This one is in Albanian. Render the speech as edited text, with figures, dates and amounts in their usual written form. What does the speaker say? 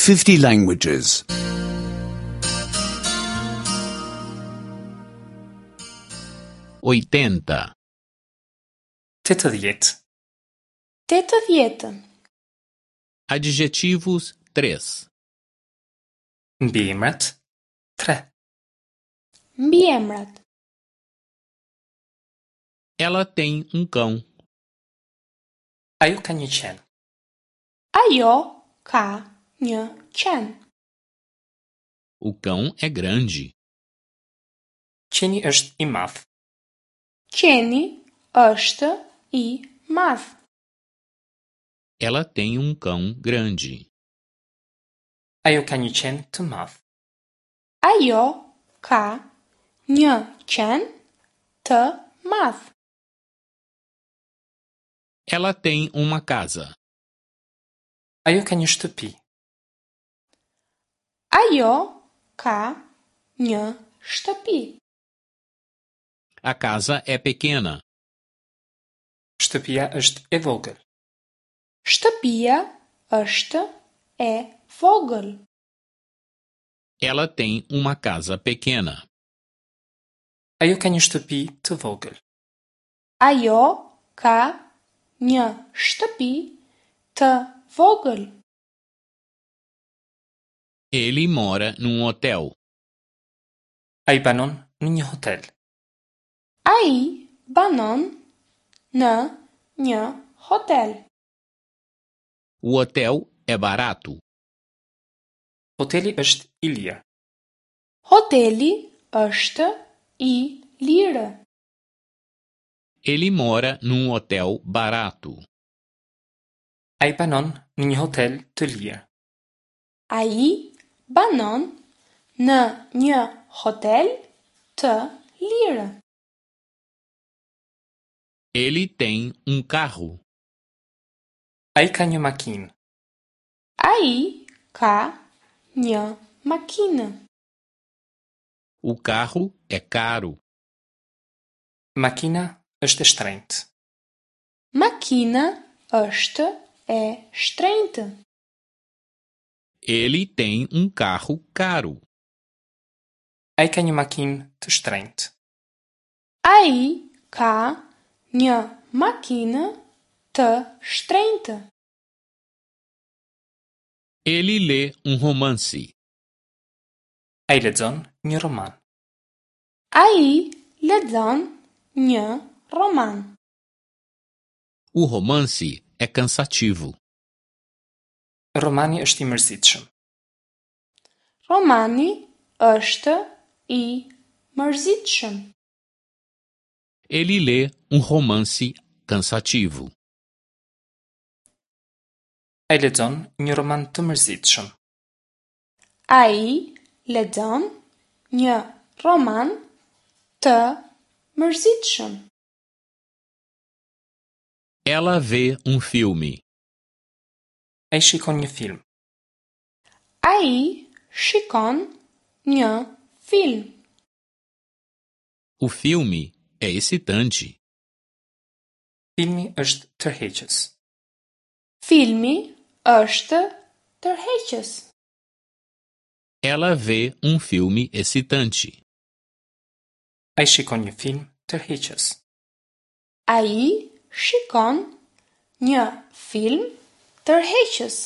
50 languages. 80. 80. 80. Adjetivos 3. Mbiemrat 3. Mbiemrat. Ela tem um cão. Ajo ka një qen. Ajo ka një qen. O cão é grande. Qeni është i madh. Qeni është i madh. Ela tem um cão grande. Ajo ka një qen të madh. Ajo ka një qen të madh. Ela tem uma casa. Ajo ka një shtëpi. Ajo ka një shtëpi. A casa é pequena. Shtëpia është e vogël. Shtëpia është e vogël. Ela tem uma casa pequena. Ajo ka një shtëpi të vogël. Ajo ka një shtëpi të vogël. Ele mora num hotel. Ai banon në një hotel. Ai banon në një hotel. O hotel é barato. Hoteli është i lirë. Hoteli është i lirë. Ele mora num hotel barato. Ai banon në një hotel të lirë. Ai banon në një hotel të lirë. Ele tem um carro. Ai ka një makinë. Ai ka një makinë. O carro é caro. Makina është e shtrenjtë. Makina është e shtrenjtë. Ele tem um carro caro. Ai ka një makinë të shtrenjtë. Ai ka një makinë të shtrenjtë. Ele lê um romance. Ai lexon një roman. Ai lexon një roman. O romance é cansativo. Romani është i mërzitshëm. Romani është i mërzitshëm. Ele lê um romance cansativo. Ai lexon një roman të mërzitshëm. Ai lexon një roman të mërzitshëm. Ela vê um filme. Ai shikon një film. Ai shikon një film. O filme é excitante. Filmi është tërheqës. Filmi është tërheqës. Ela vê um filme excitante. Ai shikon një film tërheqës. Ai shikon një film tërheqës.